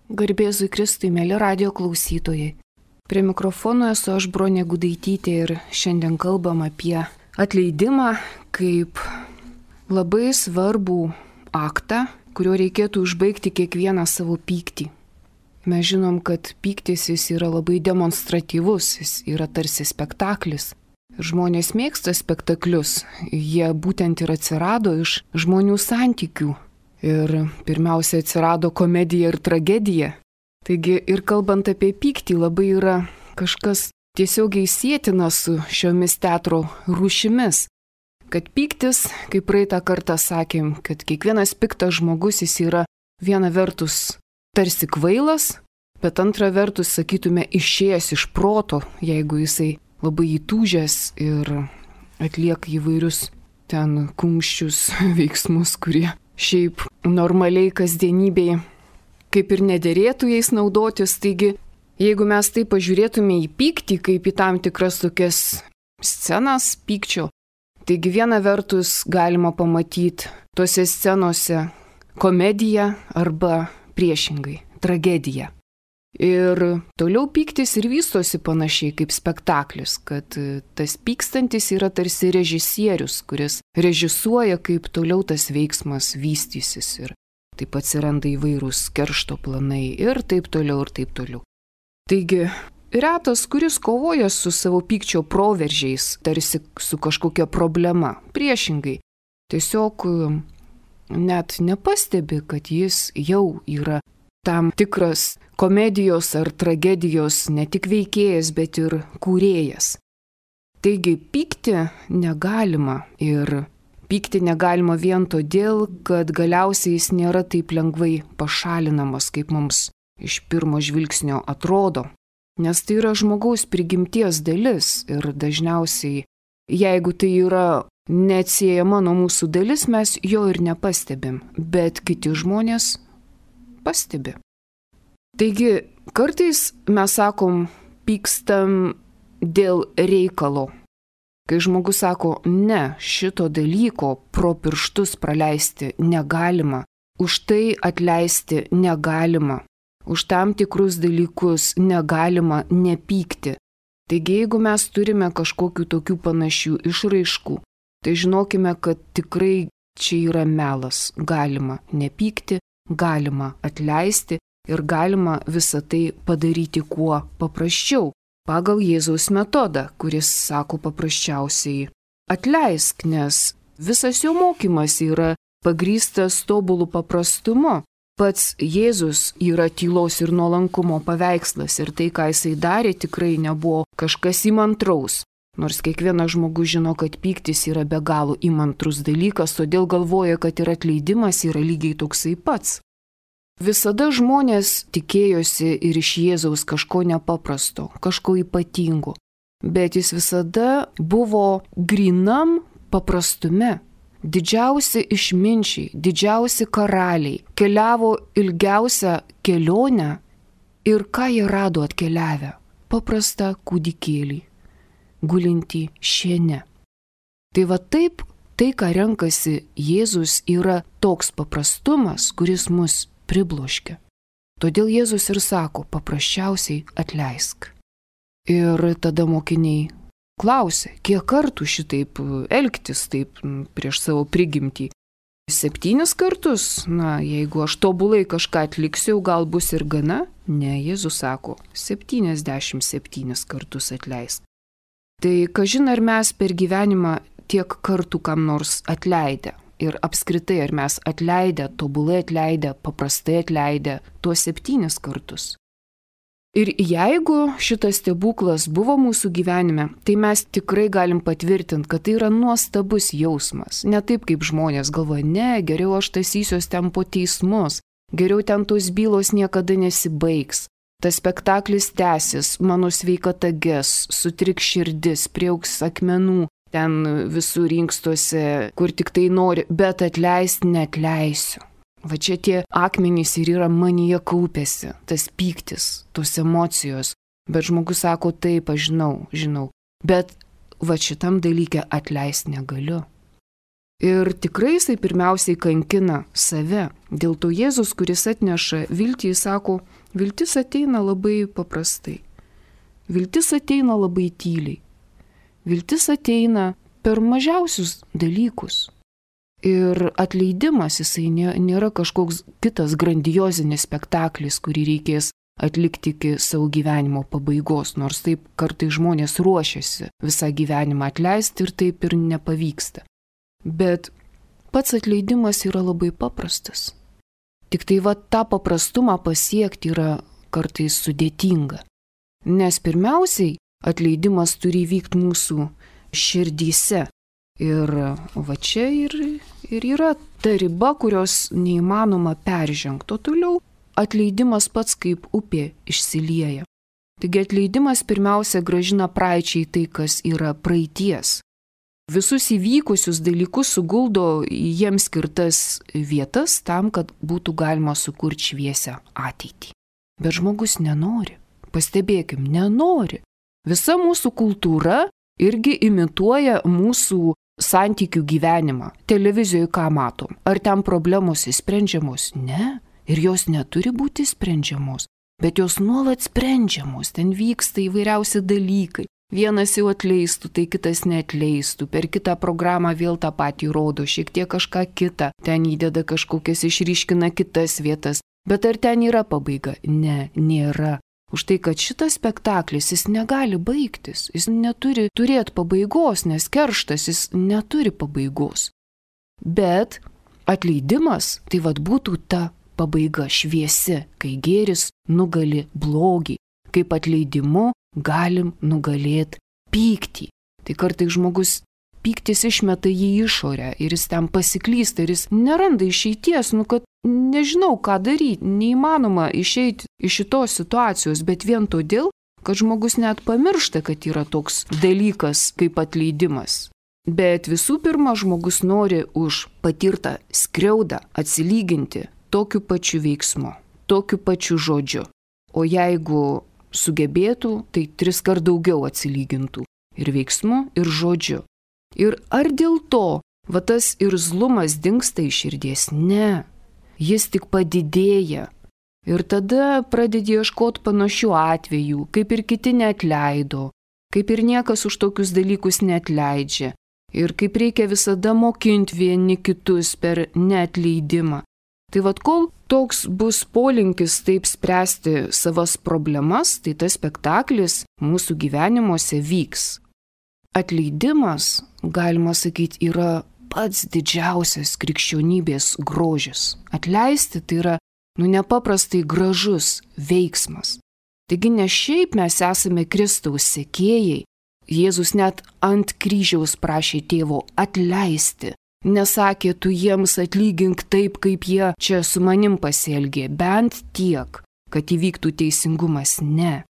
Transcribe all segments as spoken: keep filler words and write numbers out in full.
Garbėzui Kristui, mėly radio klausytojai. Prie mikrofono esu aš, Bronė Gudaitytė, ir šiandien kalbam apie atleidimą kaip labai svarbų aktą, kuriuo reikėtų užbaigti kiekvieną savo pyktį. Mes žinom, kad pyktis jis yra labai demonstratyvus, jis yra tarsi spektaklis. Žmonės mėgsta spektaklius, jie būtent ir atsirado iš žmonių santykių. Ir pirmiausia atsirado komedija ir tragedija. Taigi ir kalbant apie pyktį labai yra kažkas tiesiogiai sietina su šiomis teatro rūšimis. Kad pyktis, kaip praeitą kartą sakėm, kad kiekvienas piktas žmogus jis yra viena vertus tarsi kvailas, bet antra vertus, sakytume, išėjęs iš proto, jeigu jisai labai įtūžęs ir atlieka įvairius ten kumščius veiksmus, kurie šiaip normaliai kasdienybėje kaip ir nederėtų jais naudotis. Taigi, jeigu mes taip pažiūrėtume į pyktį, kaip į tam tikras tokias scenas pykčio, taigi viena vertus galima pamatyti tose scenose komediją arba priešingai tragediją. Ir toliau pyktis ir vystosi panašiai kaip spektaklis, kad tas pykstantis yra tarsi režisierius, kuris režisuoja, kaip toliau tas veiksmas vystysis ir taip atsiranda įvairūs keršto planai ir taip toliau ir taip toliau. Taigi, retas, kuris kovoja su savo pykčio proveržiais, tarsi su kažkokia problema. Priešingai, tiesiog net nepastebi, kad jis jau yra tam tikras komedijos ar tragedijos ne tik veikėjas, bet ir kūrėjas. Taigi pykti negalima ir pykti negalima vien todėl, kad galiausiai jis nėra taip lengvai pašalinamas, kaip mums iš pirmo žvilgsnio atrodo. Nes tai yra žmogaus prigimties dalis ir dažniausiai, jeigu tai yra neatsiejama nuo mūsų dalis, mes jo ir nepastebim, bet kiti žmonės pastebi. Taigi, kartais mes sakom, pykstam dėl reikalo. Kai žmogus sako, ne, šito dalyko pro pirštus praleisti negalima, už tai atleisti negalima, už tam tikrus dalykus negalima nepykti. Taigi, jeigu mes turime kažkokių tokių panašių išraiškų, tai žinokime, kad tikrai čia yra melas. Galima nepykti, galima atleisti ir galima visą tai padaryti kuo paprasčiau. Pagal Jėzaus metodą, kuris sako paprasčiausiai atleisk, nes visas jo mokymas yra pagrįstas tobulų paprastumu. Pats Jėzus yra tylos ir nuolankumo paveikslas ir tai, ką jisai darė, tikrai nebuvo kažkas įmantraus. Nors kiekvienas žmogus žino, kad pyktis yra be galo įmantrus dalykas, todėl galvoja, kad ir atleidimas yra lygiai toksai pats. Visada žmonės tikėjosi ir iš Jėzaus kažko nepaprasto, kažko ypatingo, bet jis visada buvo grynam paprastume. Didžiausi išminčiai, didžiausi karaliai keliavo ilgiausią kelionę ir ką jie rado atkeliavę? Paprastą kūdikėlį, gulintį šiene. Tai va taip, tai ką renkasi Jėzus yra toks paprastumas, kuris mus pribloškia. Todėl Jėzus ir sako, paprasčiausiai atleisk. Ir tada mokiniai klausė, kiek kartų šitaip elgtis taip prieš savo prigimtį. Septynis kartus? Na, jeigu aš tobulai kažką atliksiu, gal bus ir gana? Ne, Jėzus sako, septyniasdešimt septynis kartus atleisk. Tai kažin ar mes per gyvenimą tiek kartų kam nors atleidę. Ir apskritai, ar mes atleidę, tobulai atleidę, paprastai atleidę tuos septynis kartus. Ir jeigu šitas stebuklas buvo mūsų gyvenime, tai mes tikrai galim patvirtinti, kad tai yra nuostabus jausmas. Ne taip, kaip žmonės galvoja, ne, geriau aš tasysiuos ten po teismus, geriau ten tos bylos niekada nesibaigs. Tas spektaklis tęsis, mano sveikata ges, sutriks širdis, priaugs akmenų, ten visur inkstuose, kur tik tai nori, bet atleisti neatleisiu. Va čia tie akmenys ir yra manyje kaupėsi, tas pyktis, tos emocijos. Bet žmogus sako, taip, aš žinau, žinau. Bet va šitam dalyke atleisti negaliu. Ir tikrai jisai pirmiausiai kankina save. Dėl to Jėzus, kuris atneša viltį, jis sako, viltis ateina labai paprastai. Viltis ateina labai tyliai. Viltis ateina per mažiausius dalykus. Ir atleidimas jisai nėra kažkoks kitas grandiozinis spektaklis, kurį reikės atlikti iki savo gyvenimo pabaigos, nors taip kartai žmonės ruošiasi visą gyvenimą atleisti ir taip ir nepavyksta. Bet pats atleidimas yra labai paprastas. Tik tai va tą paprastumą pasiekti yra kartais sudėtinga. Nes pirmiausiai atleidimas turi vykti mūsų širdyse. Ir va čia ir, ir yra ta riba, kurios neįmanoma peržengti. O toliau atleidimas pats kaip upė išsilieja. Taigi atleidimas pirmiausia grąžina praeičiai tai, kas yra praeities. Visus įvykusius dalykus suguldo į jiems skirtas vietas tam, kad būtų galima sukurti šviesią ateitį. Bet žmogus nenori. Pastebėkim, nenori. Visa mūsų kultūra irgi imituoja mūsų santykių gyvenimą. Televizijoje ką matom? Ar ten problemos įsprendžiamos? Ne. Ir jos neturi būti sprendžiamos. Bet jos nuolat sprendžiamos. Ten vyksta įvairiausi dalykai. Vienas jau atleistų, tai kitas neatleistų. Per kitą programą vėl tą patį rodo, šiek tiek kažką kitą. Ten įdeda kažkokias, išryškina kitas vietas. Bet ar ten yra pabaiga? Ne, nėra. Už tai, kad šitas spektaklis, jis negali baigtis. Jis neturi turėti pabaigos, nes kerštas jis neturi pabaigos. Bet atleidimas, tai vad būtų ta pabaiga šviesi, kai gėris nugali blogį. Kaip atleidimu galim nugalėti pyktį. Tai kartais žmogus pyktis išmeta jį išorę ir jis ten pasiklysta ir jis neranda išeities, nu kad nežinau ką daryti, neįmanoma išeiti iš šitos situacijos, bet vien todėl, kad žmogus net pamiršta, kad yra toks dalykas kaip atleidimas. Bet visų pirma, žmogus nori už patirtą skriaudą atsilyginti tokiu pačiu veiksmu, tokiu pačiu žodžiu. O jeigu sugebėtų, tai tris kart daugiau atsilygintų ir veiksmu, ir žodžiu. Ir ar dėl to, va tas irzlumas dingsta iš širdies? Ne, jis tik padidėja. Ir tada pradedi ieškoti panašių atvejų, kaip ir kiti neatleido, kaip ir niekas už tokius dalykus neatleidžia. Ir kaip reikia visada mokinti vieni kitus per neatleidimą. Tai vad kol toks bus polinkis taip spręsti savas problemas, tai tas spektaklis mūsų gyvenimuose vyks. Atleidimas, galima sakyti, yra pats didžiausias krikščionybės grožis. Atleisti tai yra, nu, nepaprastai gražus veiksmas. Taigi ne šiaip mes esame Kristaus sekėjai. Jėzus net ant kryžiaus prašė tėvo atleisti. Nesakė, tu jiems atlygink taip, kaip jie čia su manim pasielgė, bent tiek, kad įvyktų teisingumas. Ne.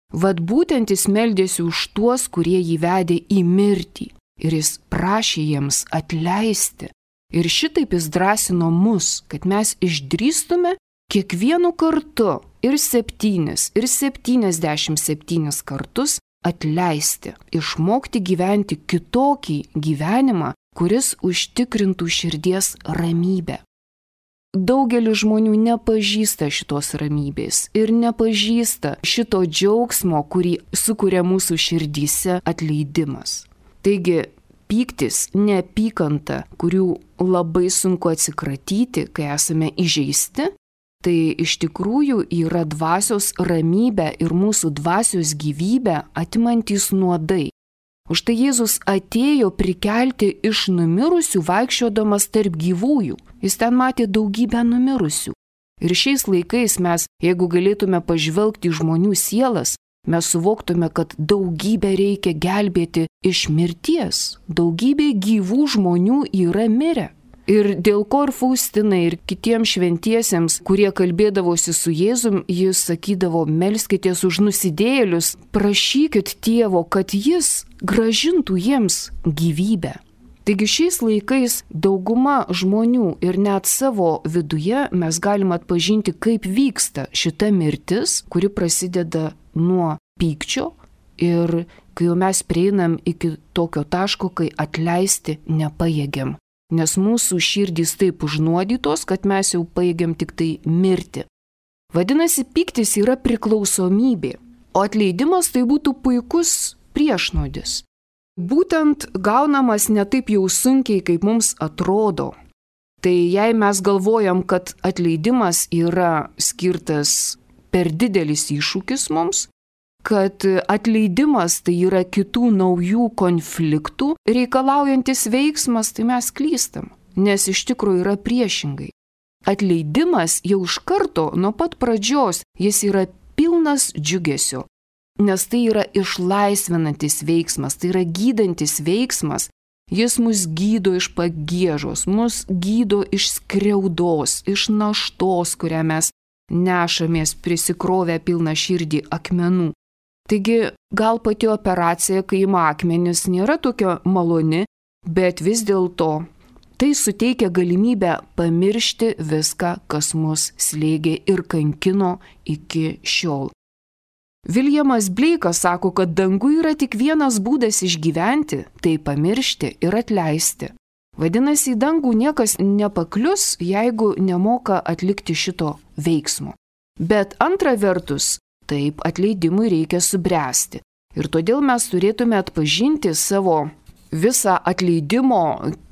Vat būtent jis meldėsi už tuos, kurie jį vedė į mirtį. Ir jis prašė jiems atleisti. Ir šitaip jis drąsino mus, kad mes išdrįstume kiekvienu kartu ir septynis, ir septyniasdešimt septynis kartus atleisti. Išmokti gyventi kitokį gyvenimą, kuris užtikrintų širdies ramybę. Daugelis žmonių nepažįsta šitos ramybės ir nepažįsta šito džiaugsmo, kurį sukuria mūsų širdyse atleidimas. Taigi, pyktis, neapykanta, kurių labai sunku atsikratyti, kai esame įžeisti, tai iš tikrųjų yra dvasios ramybę ir mūsų dvasios gyvybę atimantys nuodai. Už tai Jėzus atėjo prikelti iš numirusių vaikščiodamas tarp gyvųjų. Jis ten matė daugybę numirusių. Ir šiais laikais mes, jeigu galėtume pažvelgti į žmonių sielas, mes suvoktume, kad daugybę reikia gelbėti iš mirties. Daugybė gyvų žmonių yra mirę. Ir dėl ko ir Faustinai, ir kitiems šventiesiems, kurie kalbėdavosi su Jėzum, jis sakydavo, melskitės už nusidėjėlius, prašykit tėvo, kad jis grąžintų jiems gyvybę. Taigi šiais laikais dauguma žmonių ir net savo viduje mes galime atpažinti, kaip vyksta šita mirtis, kuri prasideda nuo pykčio ir kai jau mes prieinam iki tokio taško, kai atleisti nepajėgiam. nes mūsų širdys taip užnuodytos, kad mes jau baigiam tik tai mirti. Vadinasi, pyktis yra priklausomybė, o atleidimas tai būtų puikus priešnuodis. Būtent gaunamas ne taip jau sunkiai, kaip mums atrodo. Tai jei mes galvojam, kad atleidimas yra skirtas per didelis iššūkis mums, kad atleidimas tai yra kitų naujų konfliktų reikalaujantis veiksmas, tai mes klystam, nes iš tikrųjų yra priešingai. Atleidimas jau iš karto nuo pat pradžios jis yra pilnas džiugesio, nes tai yra išlaisvinantis veiksmas, tai yra gydantis veiksmas. Jis mus gydo iš pagiežos, mus gydo iš skriaudos, iš naštos, kurią mes nešamės prisikrovę pilną širdį akmenų. Taigi gal pati operacija, kai ima akmenis, nėra tokia maloni, bet vis dėlto tai suteikia galimybę pamiršti viską, kas mus slėgė ir kankino iki šiol. Viljamas Bleikas sako, kad danguje yra tik vienas būdas išgyventi – tai pamiršti ir atleisti. Vadinasi, į dangų niekas nepaklius, jeigu nemoka atlikti šito veiksmo. Bet antra vertus, taip atleidimui reikia subręsti. Ir todėl mes turėtume atpažinti savo visą atleidimo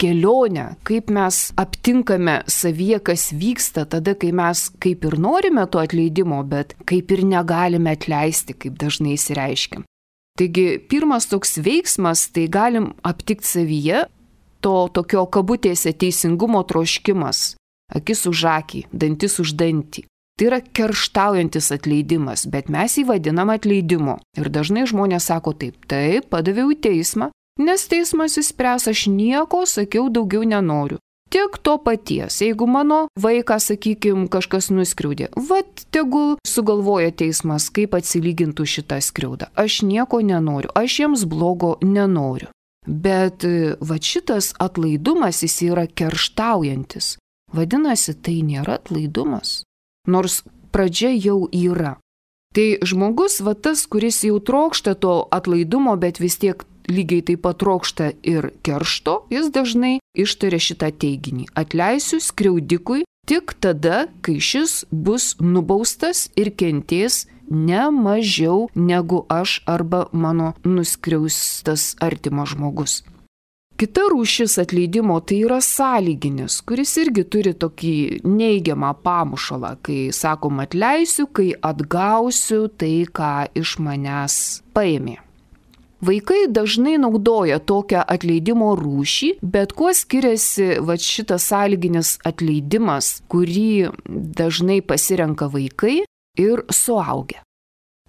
kelionę, kaip mes aptinkame savyje, kas vyksta tada, kai mes kaip ir norime to atleidimo, bet kaip ir negalime atleisti, kaip dažnai įsireiškiam. Taigi, pirmas toks veiksmas, tai galim aptikti savyje to tokio kabutėse teisingumo troškimas, akis už akį, dantis už dantį. Tai yra kerštaujantis atleidimas, bet mes jį vadinam atleidimu. Ir dažnai žmonės sako taip, taip, padaviau į teismą, nes teismas įspręs, aš nieko, sakiau, daugiau nenoriu. Tik to paties, jeigu mano vaiką, sakykime, kažkas nuskriaudė, vat tegul sugalvoja teismas, kaip atsilygintų šitą skriaudą. Aš nieko nenoriu, aš jiems blogo nenoriu. Bet vat šitas atlaidumas jis yra kerštaujantis. Vadinasi, tai nėra atlaidumas, nors pradžia jau yra. Tai žmogus, va tas, kuris jau trokšta to atlaidumo, bet vis tiek lygiai taip pat trokšta ir keršto, jis dažnai ištaria šitą teiginį. Atleisiu skriaudikui tik tada, kai šis bus nubaustas ir kentės ne mažiau negu aš arba mano nuskriaustas artimas žmogus. Kita rūšis atleidimo tai yra sąlyginis, kuris irgi turi tokį neigiamą pamušalą, kai sakom atleisiu, kai atgausiu tai, ką iš manęs paėmė. Vaikai dažnai naudoja tokią atleidimo rūšį, bet kuo skiriasi va šitas sąlyginis atleidimas, kurį dažnai pasirenka vaikai ir suaugę.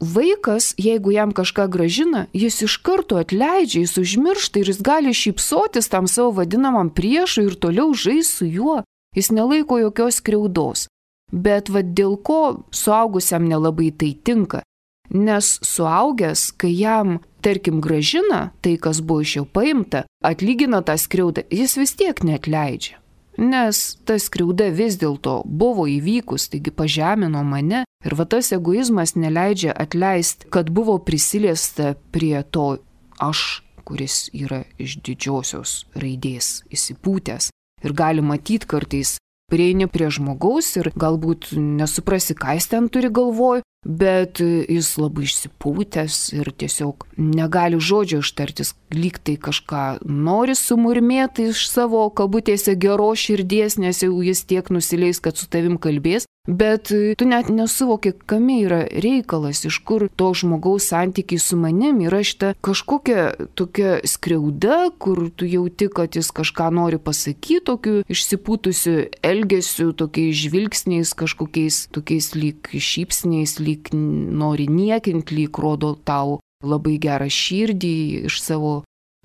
Vaikas, jeigu jam kažką grąžina, jis iš karto atleidžia, jis užmiršta ir jis gali šypsotis tam savo vadinamam priešui ir toliau žais su juo. Jis nelaiko jokios skriaudos. Bet va dėl ko suaugusiam nelabai tai tinka? Nes suaugęs, kai jam, tarkim, grąžina tai, kas buvo iš jo paimta, atlygina tą skriaudą, jis vis tiek neatleidžia. Nes ta skriauda vis dėlto buvo įvykus, taigi pažemino mane ir va tas egoizmas neleidžia atleisti, kad buvo prisiliesta prie to aš, kuris yra iš didžiosios raidės įsipūtęs. Ir gali matyti kartais, prieini prie žmogaus ir galbūt nesuprasi, ką jis ten turi galvoj, bet jis labai išsipūtęs ir tiesiog negali žodžio ištartis, lyg tai kažką nori sumurmėti iš savo kabutėse geros širdies, nes jau jis tiek nusileis, kad su tavim kalbės, bet tu net nesuvoki, kame yra reikalas, iš kur to žmogaus santykiai su manim yra šita kažkokia tokia skriauda, kur tu jauti, kad jis kažką nori pasakyti, tokiu išsipūtusiu elgesiu, tokiais žvilgsniais, kažkokiais tokiais lyg šypsniais, lyg nori niekinti, lyg rodo tau labai gerą širdį iš savo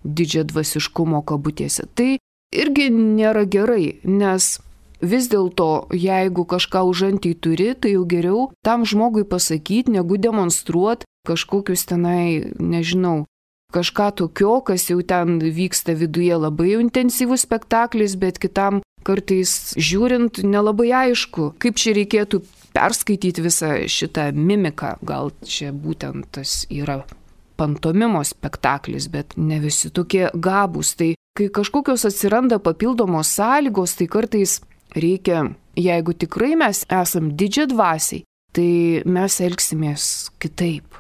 didžią dvasiškumo kabutėse. Tai irgi nėra gerai, nes vis dėlto, jeigu kažką užantį turi, tai jau geriau tam žmogui pasakyti, negu demonstruoti kažkokius tenai, nežinau, kažką tokio, kas jau ten vyksta viduje labai intensyvus spektaklis, bet kitam kartais žiūrint nelabai aišku, kaip čia reikėtų perskaityti visą šitą mimiką. Gal čia būtent tas yra pantomimo spektaklis, bet ne visi tokie gabūs. Tai kai kažkokios atsiranda papildomos sąlygos, tai kartais reikia, jeigu tikrai mes esam didžiadvasiai, tai mes elgsimės kitaip.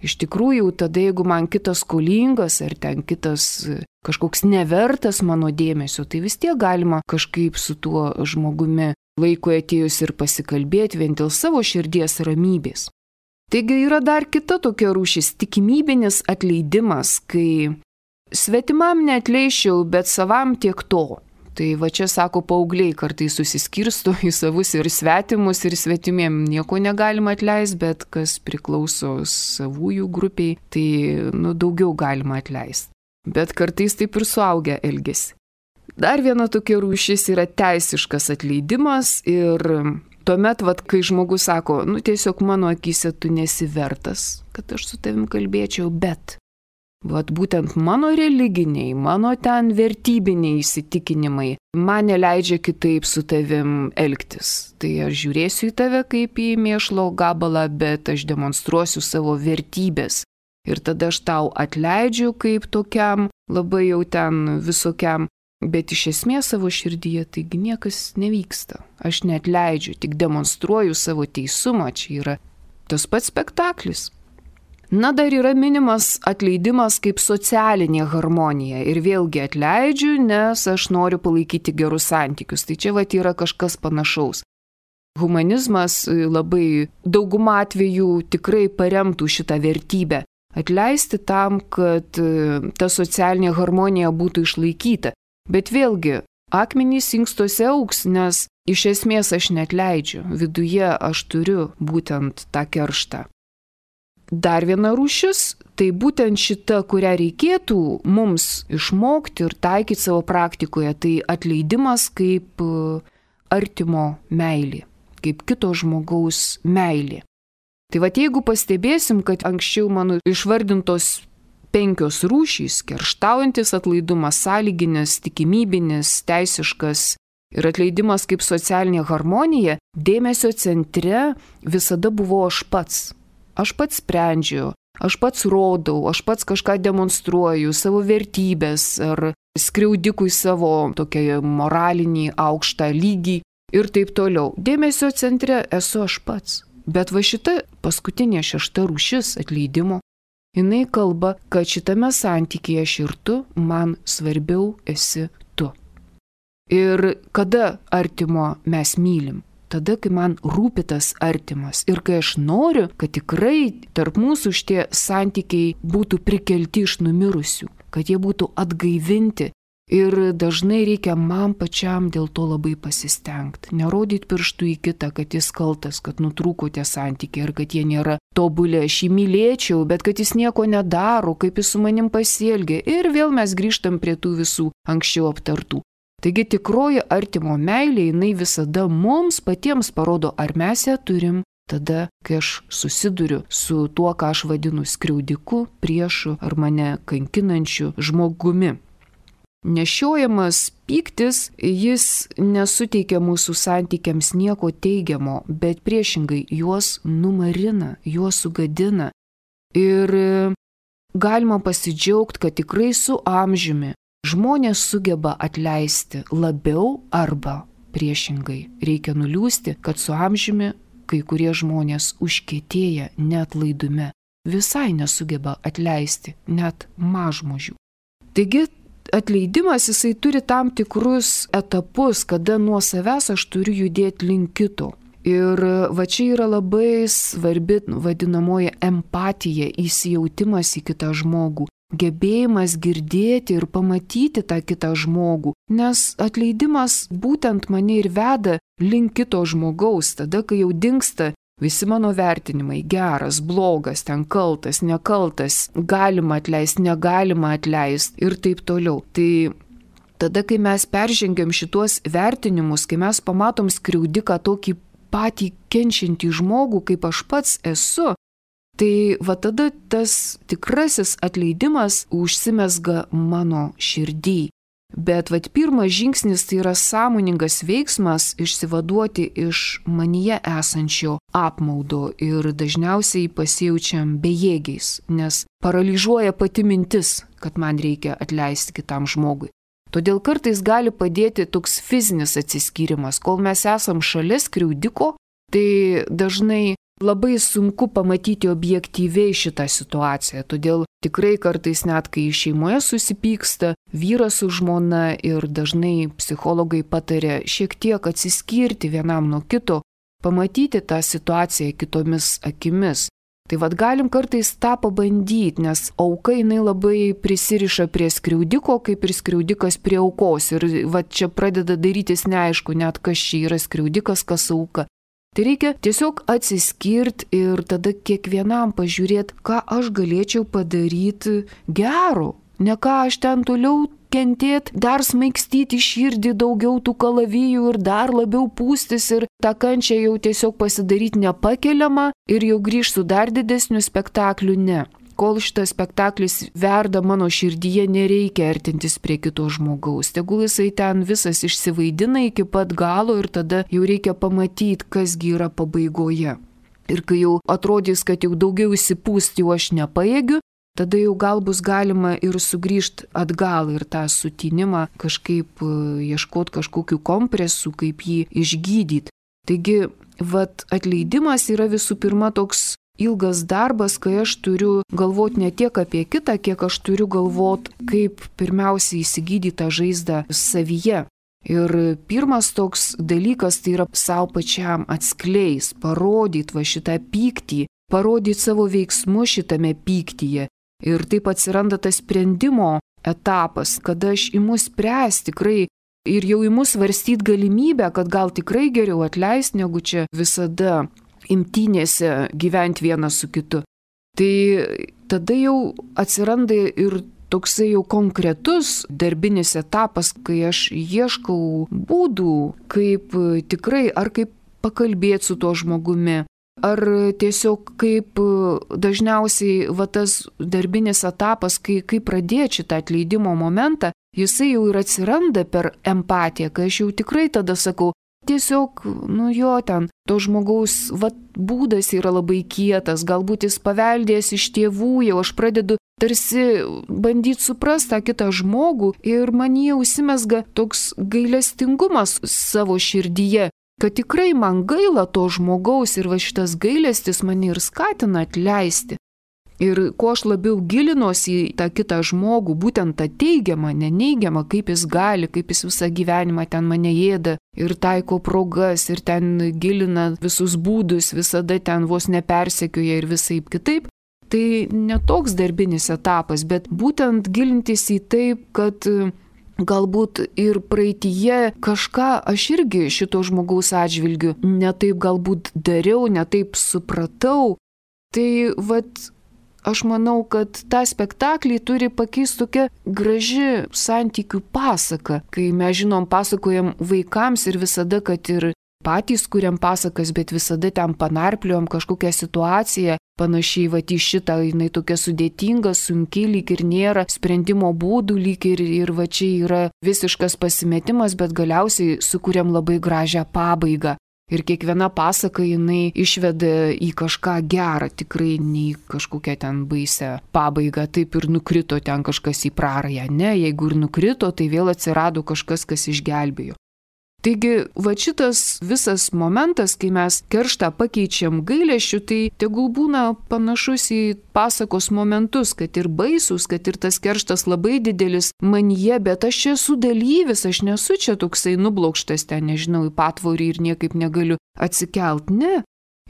Iš tikrųjų, tada jeigu man kitas skolingas ar ten kitas kažkoks nevertas mano dėmesio, tai vis tiek galima kažkaip su tuo žmogumi laikui atėjus ir pasikalbėti vien dėl savo širdies ramybės. Taigi yra dar kita tokia rūšis – tikimybinis atleidimas, kai svetimam neatleiščiau, bet savam tiek to. Tai va čia, sako, paaugliai kartais susiskirsto į savus ir svetimus, ir svetimiem nieko negalima atleisti, bet kas priklauso savųjų grupiai, tai nu, daugiau galima atleisti. Bet kartais taip ir suaugę elgiasi. Dar viena tokia rūšis yra teisiškas atleidimas ir tuomet, vat, kai žmogus sako, nu tiesiog mano akyse tu nesi vertas, kad aš su tavim kalbėčiau, bet vat būtent mano religiniai, mano ten vertybiniai įsitikinimai man neleidžia kitaip su tavim elgtis. Tai aš žiūrėsiu į tave kaip į mėšlo gabalą, bet aš demonstruosiu savo vertybės. Ir tada aš tau atleidžiu kaip tokiam, labai jau ten visokiam, bet iš esmės savo širdyje taigi niekas nevyksta. Aš neatleidžiu, tik demonstruoju savo teisumą, čia yra tas pats spektaklis. Na, dar yra minimas atleidimas kaip socialinė harmonija ir vėlgi atleidžiu, nes aš noriu palaikyti gerus santykius. Tai čia vat yra kažkas panašaus. Humanizmas labai daugumą atvejų tikrai paremtų šitą vertybę. Atleisti tam, kad ta socialinė harmonija būtų išlaikyta. Bet vėlgi, akmenys inkstuose augs, nes iš esmės aš neatleidžiu. Viduje aš turiu būtent tą kerštą. Dar viena rūšis, tai būtent šita, kurią reikėtų mums išmokti ir taikyti savo praktikoje, tai atleidimas kaip artimo meilė, kaip kito žmogaus meilė. Tai va, jeigu pastebėsim, kad anksčiau mano išvardintos penkios rūšys – kerštaujantis atlaidumas, sąlyginis, tikimybinis, teisiškas ir atleidimas kaip socialinė harmonija, dėmesio centre visada buvo aš pats. Aš pats sprendžiu, aš pats rodau, aš pats kažką demonstruoju, savo vertybės ar skriaudikui savo tokią moralinį aukštą lygį ir taip toliau. Dėmesio centre esu aš pats. Bet va šita paskutinė šešta rūšis atleidimo, jinai kalba, kad šitame santykyje aš ir tu, man svarbiau esi tu. Ir kada artimo mes mylim? Tada, kai man rūpi tas artimas ir kai aš noriu, kad tikrai tarp mūsų šitie santykiai būtų prikelti iš numirusių, kad jie būtų atgaivinti. Ir dažnai reikia man pačiam dėl to labai pasistengti. Nerodyti pirštų į kitą, kad jis kaltas, kad nutrūko tie santykiai ir kad jie nėra tobulė. Aš jį mylėčiau, bet kad jis nieko nedaro, kaip jis su manim pasielgia. Ir vėl mes grįžtam prie tų visų anksčiau aptartų. Taigi tikroji artimo meilė, jinai visada mums patiems parodo, ar mes ją turim, tada, kai aš susiduriu su tuo, ką aš vadinu skriaudiku, priešu ar mane kankinančiu žmogumi. Nešiojamas pyktis, jis nesuteikia mūsų santykiams nieko teigiamo, bet priešingai juos numarina, juos sugadina. Ir galima pasidžiaugti, kad tikrai su amžiumi žmonės sugeba atleisti labiau arba priešingai. Reikia nuliūsti, kad su amžiumi kai kurie žmonės užkietėja neatlaidume, visai nesugeba atleisti net mažmožių. Taigi atleidimas jisai turi tam tikrus etapus, kada nuo savęs aš turiu judėti link kito. Ir va čia yra labai svarbi vadinamoji empatija, įsijautimas į kitą žmogų. Gebėjimas girdėti ir pamatyti tą kitą žmogų, nes atleidimas būtent mane ir veda link kito žmogaus, tada, kai jau dingsta visi mano vertinimai, geras, blogas, ten kaltas, nekaltas, galima atleisti, negalima atleisti ir taip toliau. Tai tada, kai mes peržengiam šitos vertinimus, kai mes pamatom skriaudiką tokį patį kenčiantį žmogų, kaip aš pats esu, tai va tada tas tikrasis atleidimas užsimezga mano širdį. Bet va pirmas žingsnis tai yra sąmoningas veiksmas išsivaduoti iš manyje esančio apmaudo ir dažniausiai pasijaučiam bejėgiais, nes paralyžiuoja pati mintis, kad man reikia atleisti kitam žmogui. Todėl kartais gali padėti toks fizinis atsiskyrimas. Kol mes esam šalia skriaudiko, tai dažnai labai sunku pamatyti objektyviai šitą situaciją. Todėl tikrai kartais net kai šeimoje susipyksta vyras su žmona ir dažnai psichologai pataria šiek tiek atsiskirti vienam nuo kito, pamatyti tą situaciją kitomis akimis. Tai vad galim kartais tą pabandyti, nes auka jinai labai prisiriša prie skriaudiko, kaip ir skriaudikas prie aukos. Ir vad čia pradeda darytis neaišku, net kas čia yra skriaudikas, kas auka. Tai reikia tiesiog atsiskirti ir tada kiekvienam pažiūrėti, ką aš galėčiau padaryti gero. Ne ką aš ten toliau kentėti, dar smaigstyti širdį daugiau tų kalavijų ir dar labiau pūstis ir tą kančią jau tiesiog pasidaryti nepakeliamą ir jau grįžti su dar didesniu spektakliu, ne. Kol šitas spektaklis verda mano širdyje, nereikia artintis prie kito žmogaus. Tegul jisai ten visas išsivaidina iki pat galo ir tada jau reikia pamatyti, kasgi yra pabaigoje. Ir kai jau atrodys, kad jau daugiau įsipūsti jau aš nepajėgiu, tada jau gal bus galima ir sugrįžti atgal ir tą sutinimą kažkaip ieškoti kažkokių kompresų, kaip jį išgydyti. Taigi, vat atleidimas yra visų pirma toks ilgas darbas, kai aš turiu galvoti ne tiek apie kitą, kiek aš turiu galvoti, kaip pirmiausia įsigydyti tą žaizdą savyje. Ir pirmas toks dalykas tai yra savo pačiam atskleis, parodyti va šitą pyktį, parodyti savo veiksmu šitame pyktyje. Ir taip atsiranda tas sprendimo etapas, kada aš imu spręsti tikrai ir jau imu svarstyti galimybę, kad gal tikrai geriau atleisti, negu čia visada imtynėse gyventi vienas su kitu. Tai tada jau atsiranda ir toksai jau konkretus darbinis etapas, kai aš ieškau būdų, kaip tikrai ar kaip pakalbėti su tuo žmogumi, ar tiesiog kaip dažniausiai va tas darbinis etapas, kai, kai pradėti šitą atleidimo momentą, jisai jau ir atsiranda per empatiją, kai aš jau tikrai tada sakau, tiesiog, nu jo ten, to žmogaus vat, būdas yra labai kietas, galbūt jis paveldėjęs iš tėvų, jau aš pradedu tarsi bandyti suprasti tą kitą žmogų ir man jie užsimesga toks gailestingumas savo širdyje, kad tikrai man gaila to žmogaus ir va šitas gailestis mane ir skatina atleisti. Ir kuo aš labiau gilinuosi į tą kitą žmogų, būtent tą teigiamą, neneigiamą, kaip jis gali, kaip jis visą gyvenimą ten mane ėda ir taiko progas ir ten gilina visus būdus, visada ten vos nepersekioja ir visaip kitaip, tai netoks darbinis etapas, bet būtent gilintis į taip, kad galbūt ir praeityje kažką aš irgi šito žmogaus atžvilgiu netaip galbūt dariau, netaip supratau. Tai vat aš manau, kad tą spektaklį turi pakeisti tokia graži santykių pasaka, kai mes žinom, pasakojam vaikams ir visada, kad ir patys kuriam pasakas, bet visada ten panarpliojam kažkokią situaciją, panašiai va į šitą, jinai tokia sudėtinga, sunki, lyg ir nėra sprendimo būdų, lyg ir, ir va čia yra visiškas pasimetimas, bet galiausiai sukuriam labai gražią pabaigą. Ir kiekviena pasaka jinai išveda į kažką gerą, tikrai ne į kažkokią ten baisę pabaigą, taip ir nukrito ten kažkas į prarają. Ne, jeigu ir nukrito, tai vėl atsirado kažkas, kas išgelbėjo. Taigi, va šitas visas momentas, kai mes kerštą pakeičiam gailesčiu, tai tegul būna panašus į pasakos momentus, kad ir baisus, kad ir tas kerštas labai didelis manyje, bet aš čia esu dalyvis, aš nesu čia toksai nublokštas ten, nežinau, į patvorį ir niekaip negaliu atsikelt. Ne.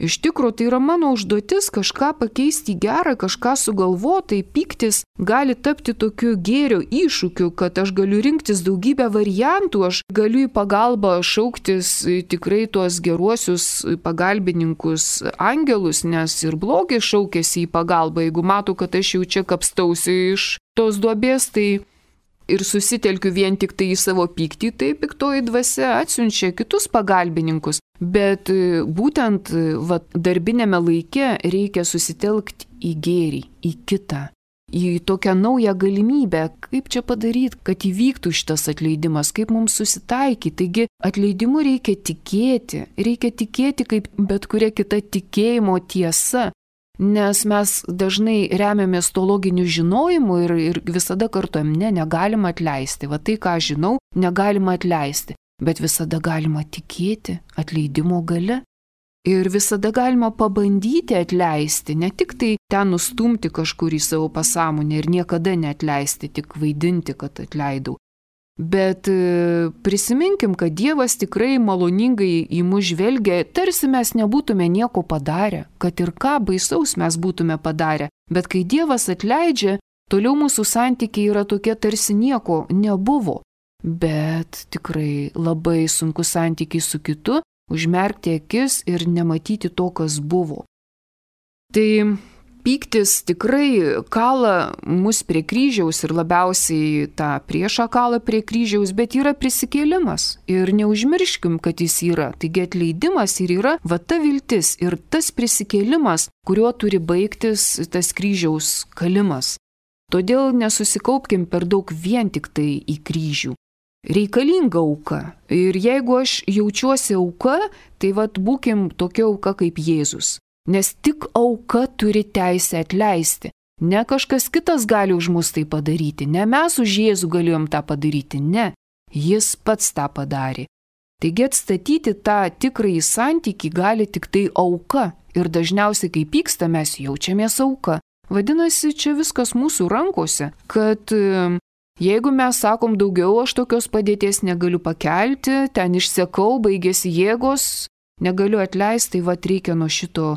Iš tikrųjų, tai yra mano užduotis kažką pakeisti į gerą, kažką sugalvoti, tai pyktis gali tapti tokiu gėrio iššūkiu, kad aš galiu rinktis daugybę variantų, aš galiu į pagalbą šauktis tikrai tuos geruosius pagalbininkus angelus, nes ir blogis šaukėsi į pagalbą, jeigu matau, kad aš jau čia kapstausi iš tos duobės, tai ir susitelkiu vien tik tai į savo pyktį, tai piktoji dvasia atsiunčia kitus pagalbininkus. Bet būtent va, darbinėme laike reikia susitelkti į gėrį, į kitą, į tokią naują galimybę, kaip čia padaryti, kad įvyktų šitas atleidimas, kaip mums susitaikyti. Taigi atleidimu reikia tikėti, reikia tikėti kaip bet kuria kita tikėjimo tiesa. nes mes dažnai remiamės to loginiu žinojimu ir, ir visada kartuojam, ne, negalima atleisti. Va tai, ką žinau, negalima atleisti, bet visada galima tikėti atleidimo gale. Ir visada galima pabandyti atleisti, ne tik tai ten nustumti kažkur į savo pasąmonę ir niekada neatleisti, tik vaidinti, kad atleidau. Bet prisiminkim, kad Dievas tikrai maloningai į mus žvelgia, tarsi mes nebūtume nieko padarę, kad ir ką baisaus mes būtume padarę. Bet kai Dievas atleidžia, toliau mūsų santykiai yra tokie, tarsi nieko nebuvo. Bet tikrai labai sunku santykiai su kitu, užmerkti akis ir nematyti to, kas buvo. Tai pyktis tikrai kala mus prie kryžiaus ir labiausiai tą priešą kala prie kryžiaus, bet yra prisikėlimas. Ir neužmirškim, kad jis yra. Taigi atleidimas ir yra va ta viltis ir tas prisikėlimas, kuriuo turi baigtis tas kryžiaus kalimas. Todėl nesusikaupkim per daug vien tik tai į kryžių. Reikalinga auka. Ir jeigu aš jaučiuosi auka, tai vat būkim tokia auka kaip Jėzus. Nes tik auka turi teisę atleisti. Ne kažkas kitas gali už mus tai padaryti. Ne mes už Jėzų galėjom tą padaryti. Ne. Jis pats tą padarė. Taigi atstatyti tą tikrąjį santykį gali tik tai auka. Ir dažniausiai, kai pyksta, mes jaučiamės auka. Vadinasi, čia viskas mūsų rankose, kad jeigu mes sakom daugiau, aš tokios padėties negaliu pakelti, ten išsekau, baigėsi jėgos, negaliu atleisti, tai va reikia nuo šito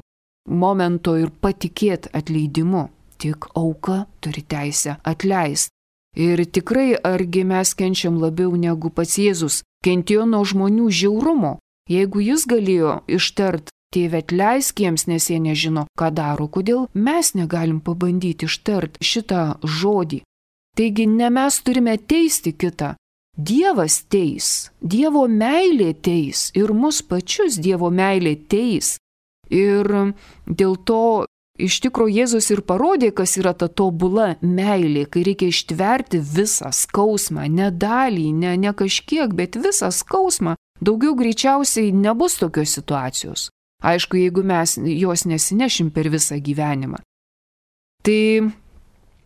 momento ir patikėti atleidimu. Tik auka turi teisę atleisti. Ir tikrai, argi mes kenčiam labiau negu pats Jėzus, kentėjo nuo žmonių žiaurumo. Jeigu jis galėjo ištart, Tėve atleisk jiems, nes jie nežino, ką daro, kodėl mes negalim pabandyti ištart šitą žodį. Taigi ne mes turime teisti kitą. Dievas teis, Dievo meilė teis ir mus pačius Dievo meilė teis. Ir dėl to iš tikro Jėzus ir parodė, kas yra ta tobula meilė, kai reikia ištverti visą skausmą, ne dalį, ne, ne kažkiek, bet visą skausmą. Daugiau greičiausiai nebus tokios situacijos. Aišku, jeigu mes jos nesinešim per visą gyvenimą. Tai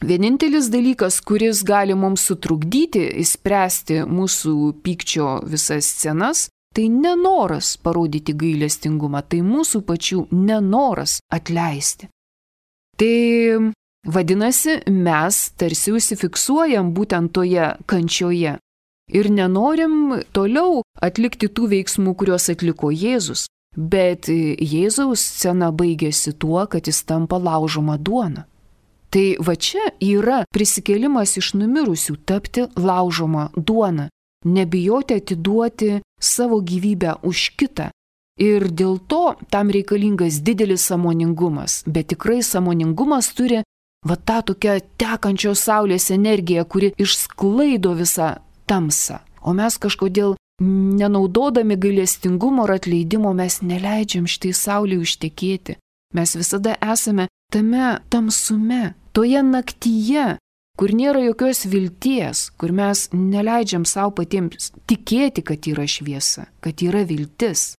vienintelis dalykas, kuris gali mums sutrukdyti įspręsti mūsų pykčio visas scenas, tai nenoras parodyti gailestingumą, tai mūsų pačių nenoras atleisti. Tai vadinasi, mes tarsi užsifiksuojam būtent toje kančioje ir nenorim toliau atlikti tų veiksmų, kuriuos atliko Jėzus. Bet Jėzaus scena baigėsi tuo, kad jis tampa laužoma duona. Tai va čia yra prisikėlimas iš numirusių, tapti laužoma duona, nebijoti atiduoti savo gyvybę už kitą. Ir dėl to tam reikalingas didelis sąmoningumas, bet tikrai sąmoningumas turi va tą tokią tekančios saulės energiją, kuri išsklaido visą tamsą. O mes kažkodėl nenaudodami gailestingumo ir atleidimo mes neleidžiam šitai saulei užtekėti. Mes visada esame tame tamsume, toje naktyje, kur nėra jokios vilties, kur mes neleidžiam savo patiems tikėti, kad yra šviesa, kad yra viltis.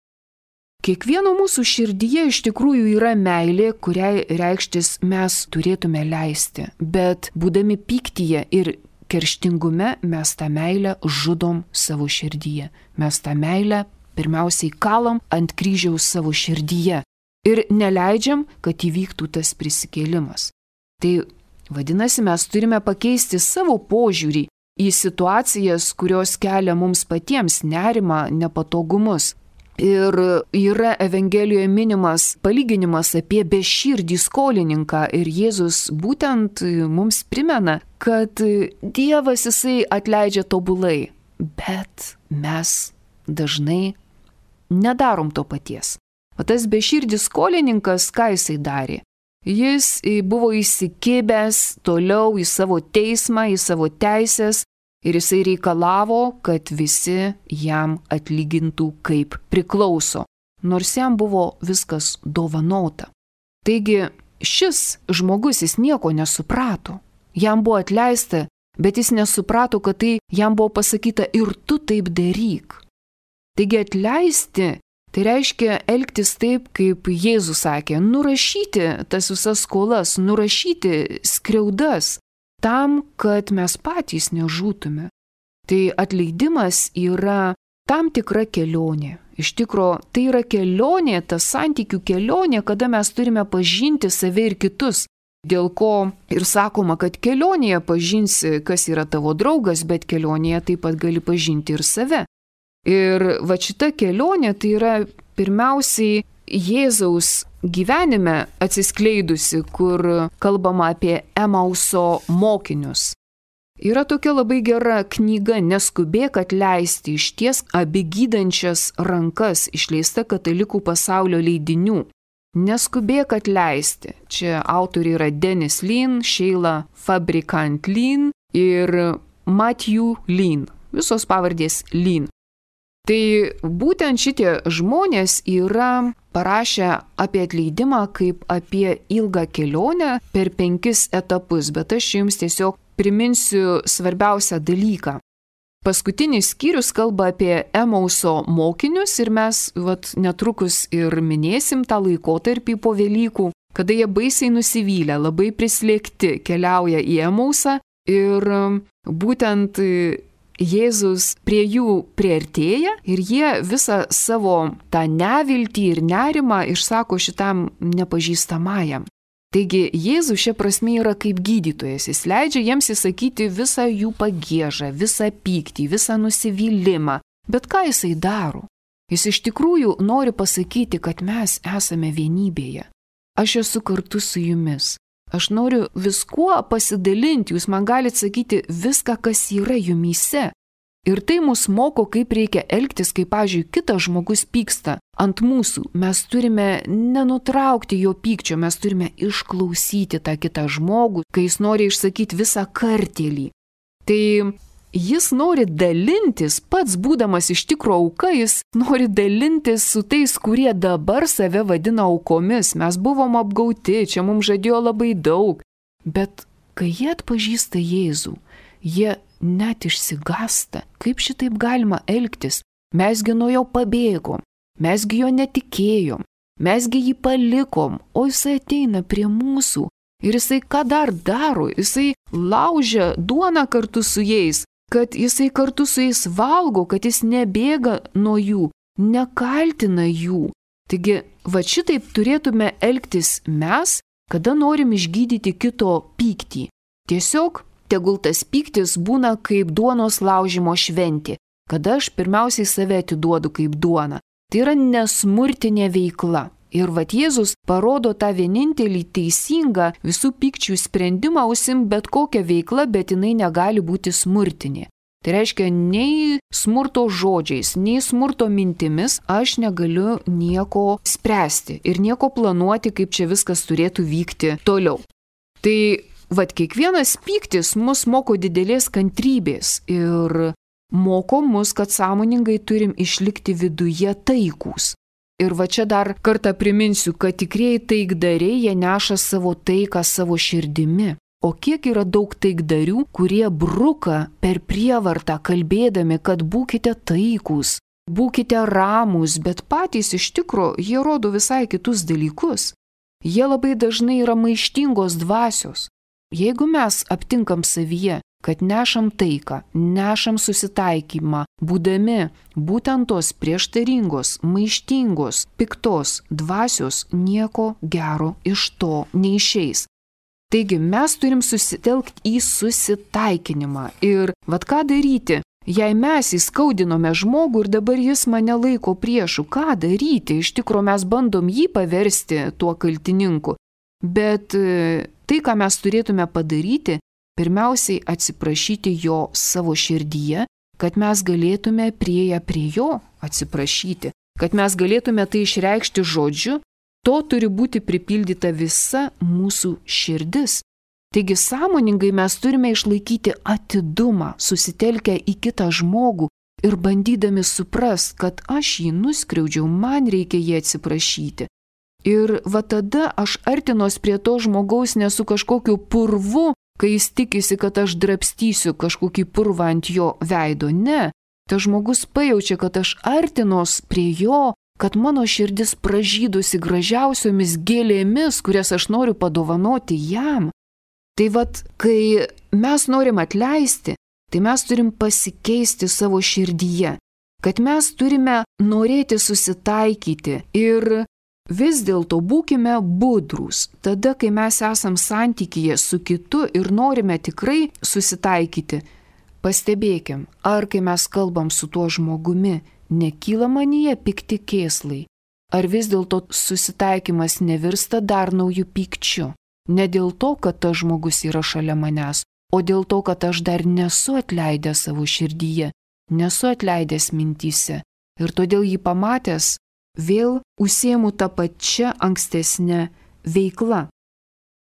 Kiekvieno mūsų širdyje iš tikrųjų yra meilė, kuriai reikštis mes turėtume leisti, bet būdami pyktyje ir kerštingume mes tą meilę žudom savo širdyje. Mes tą meilę pirmiausiai kalam ant kryžiaus savo širdyje ir neleidžiam, kad įvyktų tas prisikėlimas. Tai vadinasi, mes turime pakeisti savo požiūrį į situacijas, kurios kelia mums patiems nerimą, nepatogumus. Ir yra Evangelijoje minimas palyginimas apie beširdį skolininką ir Jėzus būtent mums primena, kad Dievas jisai atleidžia tobulai, bet mes dažnai nedarom to paties. O tas beširdis skolininkas, ką jisai darė? Jis buvo įsikibęs toliau į savo teismą, į savo teisės, ir jisai reikalavo, kad visi jam atlygintų kaip priklauso, nors jam buvo viskas dovanota. Taigi šis žmogus jis nieko nesuprato. Jam buvo atleista, bet jis nesuprato, kad tai jam buvo pasakyta ir tu taip daryk. Taigi atleisti Tai reiškia elgtis taip, kaip Jėzus sakė, nurašyti tas visas skolas, nurašyti skriaudas, tam, kad mes patys nežūtume. Tai atleidimas yra tam tikra kelionė. Iš tikro, tai yra kelionė, ta santykių kelionė, kada mes turime pažinti save ir kitus. Dėl ko ir sakoma, kad kelionėje pažinsi, kas yra tavo draugas, bet kelionėje taip pat gali pažinti ir save. Ir va šita kelionė tai yra pirmiausiai Jėzaus gyvenime atsiskleidusi, kur kalbama apie Emauso mokinius. Yra tokia labai gera knyga Neskubėk atleisti, išties abi gydančias rankas, išleista Katalikų pasaulio leidinių. Neskubėk atleisti. Čia autoriai yra Dennis Lin, Sheila Fabrikant Lin ir Matthew Lin. Visos pavardės Lin. Tai būtent šitie žmonės yra parašę apie atleidimą kaip apie ilgą kelionę per penkis etapus, bet aš jums tiesiog priminsiu svarbiausią dalyką. Paskutinis skyrius kalba apie Emauso mokinius ir mes vat, netrukus ir minėsim tą laikotarpį po Velykų, kada jie baisiai nusivylę, labai prislėgti keliauja į Emausą ir būtent Jėzus prie jų priartėja ir jie visą savo tą neviltį ir nerimą išsako šitam nepažįstamajam. Taigi Jėzus šia prasme yra kaip gydytojas, jis leidžia jiems įsakyti visą jų pagiežą, visą pyktį, visą nusivylimą. Bet ką jisai daro? Jis iš tikrųjų nori pasakyti, kad mes esame vienybėje. Aš esu kartu su jumis. Aš noriu viskuo pasidalinti, jūs man galite sakyti viską, kas yra jumyse. Ir tai mus moko, kaip reikia elgtis, kai, pavyzdžiui, kitas žmogus pyksta ant mūsų. Mes turime nenutraukti jo pykčio, mes turime išklausyti tą kitą žmogų, kai jis nori išsakyti visą kartėlį. Tai jis nori dalintis, pats būdamas iš tikro auka, jis nori dalintis su tais, kurie dabar save vadina aukomis. Mes buvom apgauti, čia mums žadėjo labai daug. Bet kai jie atpažįsta Jėzų, jie net išsigąsta, kaip šitaip galima elgtis. Mesgi nuo jo pabėgom, mesgi jo netikėjom, mesgi jį palikom, o jisai ateina prie mūsų. Ir jisai ką dar daro? Jisai laužia duoną kartu su jais, kad jisai kartu su jais valgo, kad jis nebėga nuo jų, nekaltina jų. Taigi, va šitaip turėtume elgtis mes, kada norim išgydyti kito pyktį. Tiesiog tegul tas pyktis būna kaip duonos laužimo šventė, kada aš pirmiausiai save atiduodu kaip duona. Tai yra nesmurtinė veikla. Ir vat Jėzus parodo tą vienintelį teisingą visų pykčių sprendimą užsim bet kokią veiklą, bet jinai negali būti smurtinė. Tai reiškia, nei smurto žodžiais, nei smurto mintimis aš negaliu nieko spręsti ir nieko planuoti, kaip čia viskas turėtų vykti toliau. Tai vat kiekvienas pyktis mus moko didelės kantrybės ir moko mus, kad sąmoningai turim išlikti viduje taikūs. Ir va čia dar kartą priminsiu, kad tikrieji taikdariai jie neša savo taiką savo širdimi. O kiek yra daug taikdarių, kurie bruka per prievartą kalbėdami, kad būkite taikūs, būkite ramūs, bet patys iš tikro jie rodo visai kitus dalykus. Jie labai dažnai yra maištingos dvasios. Jeigu mes aptinkam savyje, kad nešam taiką, nešam susitaikymą, būdami būtent tos prieštaringos, maištingos, piktos dvasios, nieko gero iš to neišeis. Taigi mes turim susitelkti į susitaikinimą. Ir vat ką daryti, jei mes įskaudinome žmogų ir dabar jis mane laiko priešu, ką daryti? Iš tikro mes bandom jį paversti tuo kaltininku. Bet tai, ką mes turėtume padaryti, pirmiausiai atsiprašyti jo savo širdyje, kad mes galėtume prieję prie jo atsiprašyti, kad mes galėtume tai išreikšti žodžiu, to turi būti pripildyta visa mūsų širdis. Taigi sąmoningai mes turime išlaikyti atidumą, susitelkę į kitą žmogų ir bandydami suprast, kad aš jį nuskriaudžiau, man reikia jį atsiprašyti. Ir va tada aš artinos prie to žmogaus ne su kažkokiu purvu, kai jis tikisi, kad aš drabstysiu kažkokį purvą ant jo veido. Ne, tas žmogus pajaučia, kad aš artinos prie jo, kad mano širdis pražydusi gražiausiomis gėlėmis, kurias aš noriu padovanoti jam. Tai vat, kai mes norim atleisti, tai mes turim pasikeisti savo širdyje, kad mes turime norėti susitaikyti ir vis dėlto būkime budrūs. Tada, kai mes esam santykyje su kitu ir norime tikrai susitaikyti, pastebėkim, ar kai mes kalbam su tuo žmogumi, nekyla manyje pikti kėslai, ar vis dėlto susitaikymas nevirsta dar naujų pykčių. Ne dėl to, kad tas žmogus yra šalia manęs, o dėl to, kad aš dar nesu atleidęs savo širdyje, nesu atleidęs mintyse. Ir todėl jį pamatęs, vėl užsiemu tą pačią ankstesnę veiklą.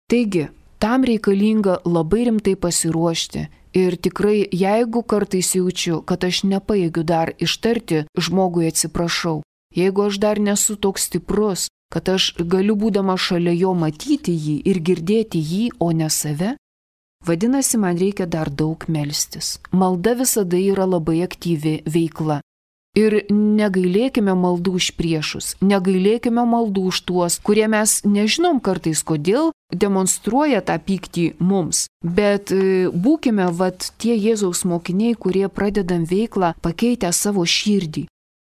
Taigi, tam reikalinga labai rimtai pasiruošti. Ir tikrai, jeigu kartais jaučiu, kad aš nepajėgiu dar ištarti žmogui atsiprašau, jeigu aš dar nesu toks stiprus, kad aš galiu būdama šalia jo matyti jį ir girdėti jį, o ne save, vadinasi, man reikia dar daug melstis. Malda visada yra labai aktyvi veikla. Ir negailėkime maldų už priešus, negailėkime maldų už tuos, kurie mes nežinom kartais kodėl demonstruoja tą pyktį mums. Bet būkime vat tie Jėzaus mokiniai, kurie pradedam veiklą pakeitę savo širdį.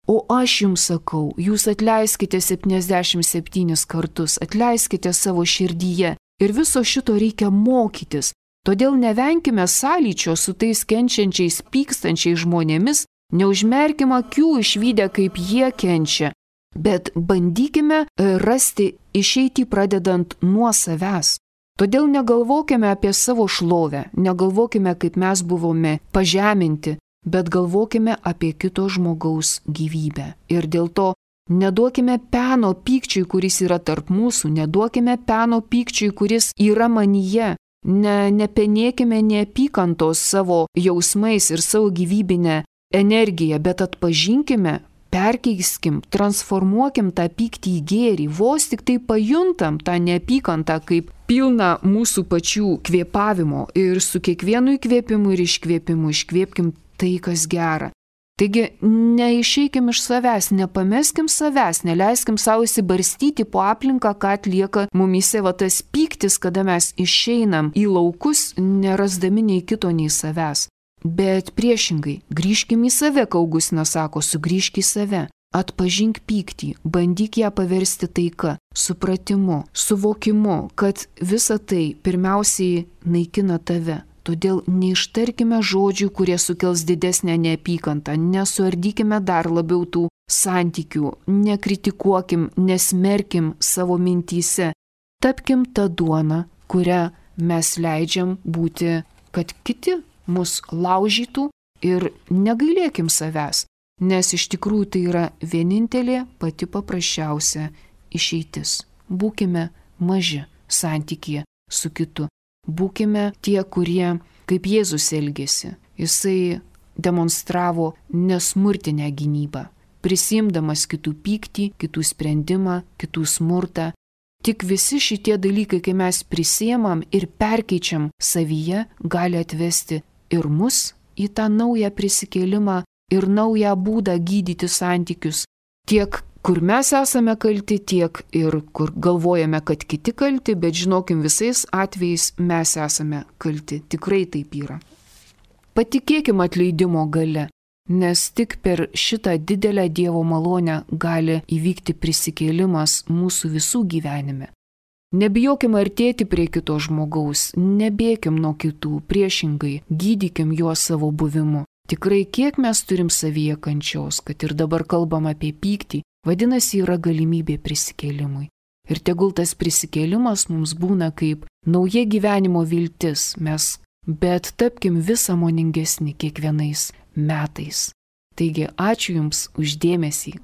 O aš jums sakau, jūs atleiskite septyniasdešimt septynis kartus, atleiskite savo širdyje. Ir viso šito reikia mokytis. Todėl nevenkime sąlyčio su tais kenčiančiais, pykstančiais žmonėmis, neužmerkime akių išvydę, kaip jie kenčia, bet bandykime rasti išeitį pradedant nuo savęs. Todėl negalvokime apie savo šlovę, negalvokime, kaip mes buvome pažeminti, bet galvokime apie kito žmogaus gyvybę. Ir dėl to neduokime peno pykčiui, kuris yra tarp mūsų, neduokime peno pykčiui, kuris yra manyje. Ne, nepenėkime neapykantos savo jausmais ir savo gyvybinę energiją, bet atpažinkime, perkeiskim, transformuokim tą pyktį į gėrį, vos tik tai pajuntam tą neapykantą kaip pilną mūsų pačių kvėpavimo ir su kiekvienu įkvėpimu ir iškvėpimu iškvėpkim tai, kas gera. Taigi neišeikim iš savęs, nepameskim savęs, neleiskim savo įsibarstyti po aplinką, ką atlieka mumyse va tas pyktis, kada mes išeinam į laukus, nerasdami nei kito, nei savęs. Bet priešingai, grįžkim į save, kai Augustinas sako, sugrįžk į save, atpažink pyktį, bandyk ją paversti taika, supratimu, suvokimu, kad visa tai pirmiausiai naikina tave. Todėl neištarkime žodžių, kurie sukels didesnę neapykantą, nesuardykime dar labiau tų santykių, nekritikuokim, nesmerkim savo mintyse, tapkim tą duoną, kurią mes leidžiam būti, kad kiti mus laužytų ir negailėkim savęs, nes iš tikrųjų tai yra vienintelė pati paprasčiausia išeitis. Būkime maži santykyje su kitu. Būkime tie, kurie, kaip Jėzus elgėsi, jisai demonstravo nesmurtinę gynybą, prisimdamas kitų pyktį, kitų sprendimą, kitų smurtą. Tik visi šitie dalykai, kai mes prisiemam ir perkeičiam savyje, gali atvesti ir mus į tą naują prisikėlimą ir naują būdą gydyti santykius. Tiek, kur mes esame kalti, tiek ir kur galvojame, kad kiti kalti, bet žinokim, visais atvejais mes esame kalti. Tikrai taip yra. Patikėkim atleidimo gale, nes tik per šitą didelę Dievo malonę gali įvykti prisikėlimas mūsų visų gyvenime. Nebijokim artėti prie kito žmogaus, nebėkim nuo kitų, priešingai, gydykim juos savo buvimu. Tikrai kiek mes turim savyje kančios, kad ir dabar kalbam apie pyktį, vadinasi yra galimybė prisikėlimui. Ir tegul tas prisikėlimas mums būna kaip nauja gyvenimo viltis, mes, bet tapkim vis sąmoningesni kiekvienais metais. Taigi ačiū Jums už dėmesį.